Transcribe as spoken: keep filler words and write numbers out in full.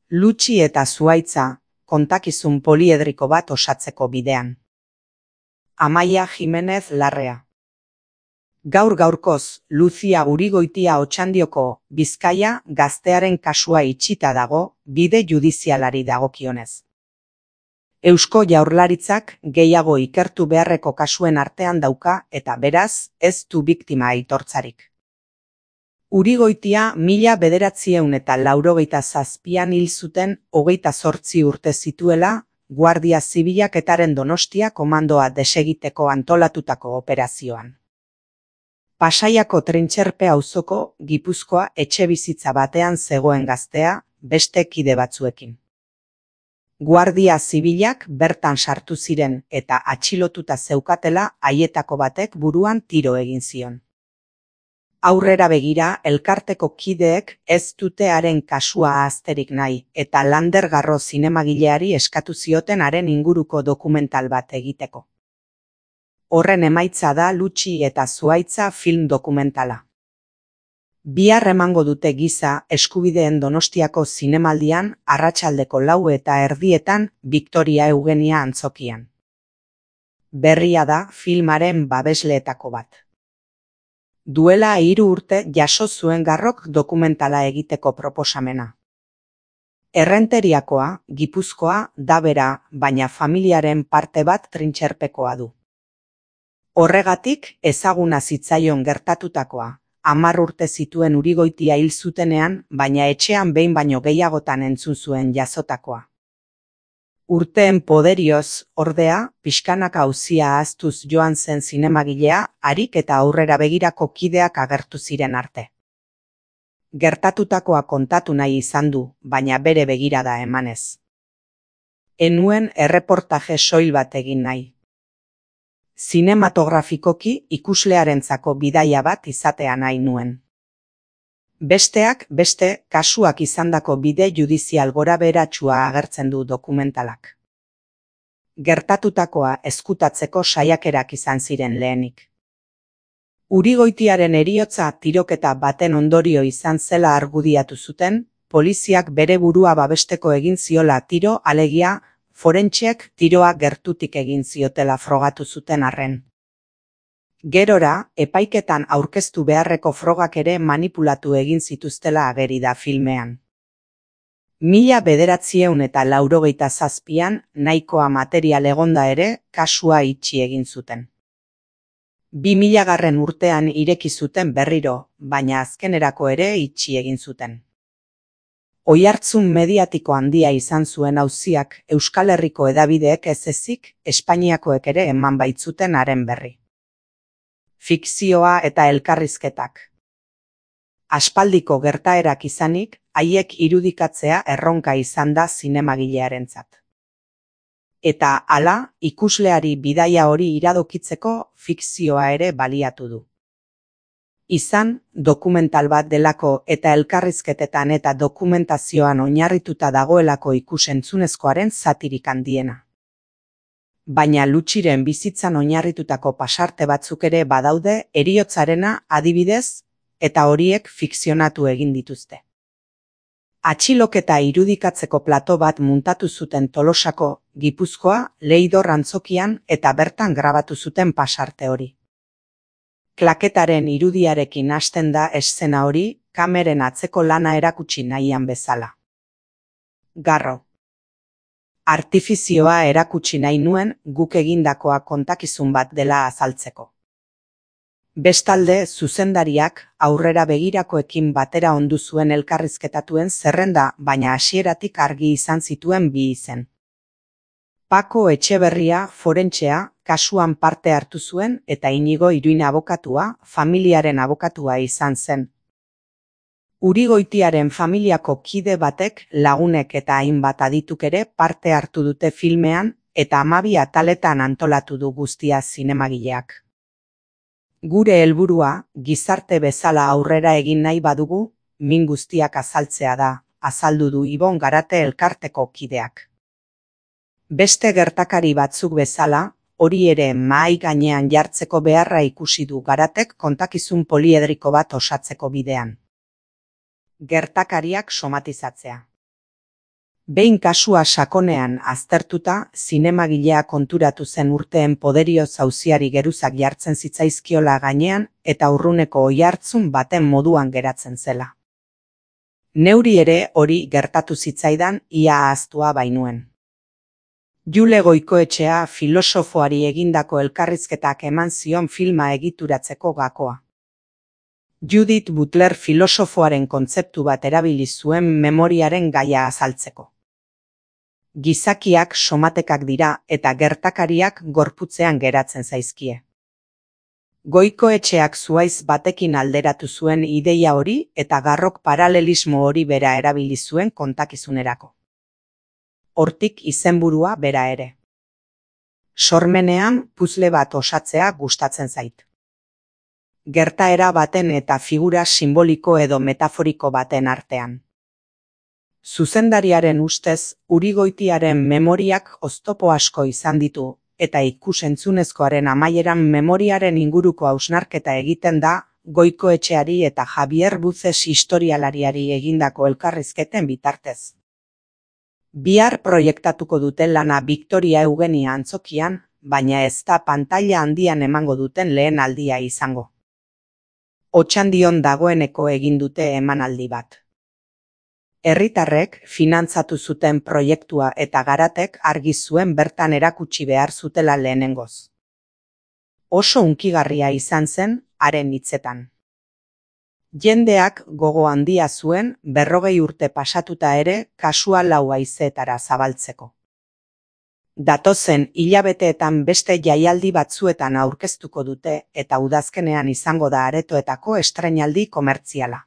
Lutxi eta Zuhaitza, kontakizun poliedriko bat osatzeko bidean. Amaia Jimenez Larrea. Gaur gaurkoz, Lucia Urigoitia Otxandioko Bizkaia gaztearen kasua itxita dago bide judizialari dagokionez. Eusko Jaurlaritzak gehiago ikertu beharreko kasuen artean dauka eta beraz ez du biktima aitortzarik. Urigoitia mila bederatziehun eta laurogeita zazpian hil zuten hogeita zortzi urte zituela Guardia Zibilak etaren Donostia komandoa desegiteko antolatutako operazioan. Pasaiako Trintxerpe auzoko Gipuzkoa etxebizitza batean zegoen gaztea beste kide batzuekin. Guardia Zibilak bertan sartu ziren eta atxilotuta zeukatela haietako batek buruan tiro egin zion. Aurrera begira, elkarteko kideek ez dute haren kasua ahazterik nahi eta Lander Garro zinemagileari eskatu zioten haren inguruko dokumental bat egiteko. Horren emaitza da Lutxi eta Zuhaitza film dokumentala. Bihar emango dute giza eskubideen Donostiako zinemaldian arratsaldeko lau eta erdietan Victoria Eugenia antzokian. Berria da filmaren babesleetako bat. Duela hiru urte jaso zuen Garrok dokumentala egiteko proposamena. Errenteriakoa, Gipuzkoa, da bera, baina familiaren parte bat Trintxerpekoa du. Horregatik ezaguna zitzaion gertatutakoa, hamar urte zituen Urigoitia hil zutenean, baina etxean behin baino gehiagotan entzun zuen jazotakoa. Urteen poderioz, ordea, pixkanaka auzia ahaztuz joan zen zinemagilea, harik eta aurrera begirako kideak agertu ziren arte. Gertatutakoa kontatu nahi izan du, baina bere begirada emanez. Enuen erreportaje soil bat egin nahi. Zinematografikoki ikuslearentzako bidaia bat izatea nahi nuen. Besteak beste kasuak izandako bide judizial gorabeheratsua agertzen du dokumentalak. Gertatutakoa ezkutatzeko saiakerak izan ziren lehenik. Urigoitiaren heriotza tiroketa baten ondorio izan zela argudiatu zuten, poliziak bere burua babesteko egin ziola tiro, alegia, forentxeek tiroa gertutik egin ziotela frogatu zuten arren. Gerora, epaiketan aurkeztu beharreko frogak ere manipulatu egin zituztela ageri da filmean. Mila bederatziehun eta laurogeita zazpian nahikoa material egonda ere kasua itxi egin zuten. Bi milagarren urtean ireki zuten berriro, baina azkenerako ere itxi egin zuten. Oihartzun mediatiko handia izan zuen auziak Euskal Herriko hedabideek ez ezik, Espainiakoek ere eman baitzuten haren berri. Fikzioa eta elkarrizketak. Aspaldiko gertaerak izanik, haiek irudikatzea erronka izan da zinemagilearentzat. Eta hala, ikusleari bidaia hori iradokitzeko fikzioa ere baliatu du. Izan, dokumental bat delako eta elkarrizketetan eta dokumentazioan oinarrituta dagoelako ikusentzunezkoaren zatirik handiena. Baina Lutxiren bizitzan oinarritutako pasarte batzuk ere badaude heriotzarena adibidez, eta horiek fikzionatu egin dituzte. Atxiloketa irudikatzeko plato bat muntatu zuten Tolosako, Gipuzkoa, Leidor antzokian eta bertan grabatu zuten pasarte hori. Klaketaren irudiarekin hasten da eszena hori, kameren atzeko lana erakutsi nahian bezala. Garro. Artifizioa erakutsi nahi nuen guk egindakoa kontakizun bat dela azaltzeko. Bestalde, zuzendariak aurrera begirakoekin batera ondu zuen elkarrizketatuen zerrenda, baina hasieratik argi izan zituen bi izen. Pako Etxeberria forentxea kasuan parte hartu zuen eta Inigo Iruin abokatua, familiaren abokatua izan zen. Urigoitiaren familiako kide batek, lagunek eta hainbat adituk ere parte hartu dute filmean eta hamabi ataletan antolatu du guztia zinemagileak. Gure helburua, gizarte bezala aurrera egin nahi badugu, min guztiak azaltzea da, azaldu du Ibon Garate elkarteko kideak. Beste gertakari batzuk bezala, hori ere mahai gainean jartzeko beharra ikusi du Garatek kontakizun poliedriko bat osatzeko bidean. Gertakariak somatizatzea. Behin kasua sakonean aztertuta, zinemagilea konturatu zen urteen poderioz auziari geruzak jartzen zitzaizkiola gainean eta urruneko oihartzun baten moduan geratzen zela. Neuri ere hori gertatu zitzaidan ia ahaztua bainuen. Jule Goikoetxea filosofoari egindako elkarrizketak eman zion filma egituratzeko gakoa. Judith Butler filosofoaren kontzeptu bat erabili zuen memoriaren gaia azaltzeko. Gizakiak somatekak dira eta gertakariak gorputzean geratzen zaizkie. Goikoetxeak zuhaiz batekin alderatu zuen ideia hori eta Garrok paralelismo hori bera erabili zuen kontakizunerako. Hortik izenburua bera ere. Sormenean puzzle bat osatzea gustatzen zait. Gertaera baten eta figura simboliko edo metaforiko baten artean. Zuzendariaren ustez, Urigoitiaren memoriak oztopo asko izan ditu, eta ikus-entzunezkoaren amaieran memoriaren inguruko hausnarketa egiten da, Goikoetxeari eta Javier Buces historialariari egindako elkarrizketen bitartez. Bihar proiektatuko duten lana Victoria Eugenia antzokian, baina ez da pantaila handian emango duten lehen aldia izango. Otxandion dagoeneko egin dute emanaldi bat. Herritarrek finantzatu zuten proiektua eta Garatek argi zuen bertan erakutsi behar zutela lehenengoz. Oso hunkigarria izan zen haren hitzetan. Jendeak gogo handia zuen berrogei urte pasatuta ere kasua lau haizeetara zabaltzeko. Datozen hilabeteetan beste jaialdi batzuetan aurkeztuko dute eta udazkenean izango da aretoetako estreinaldi komertziala.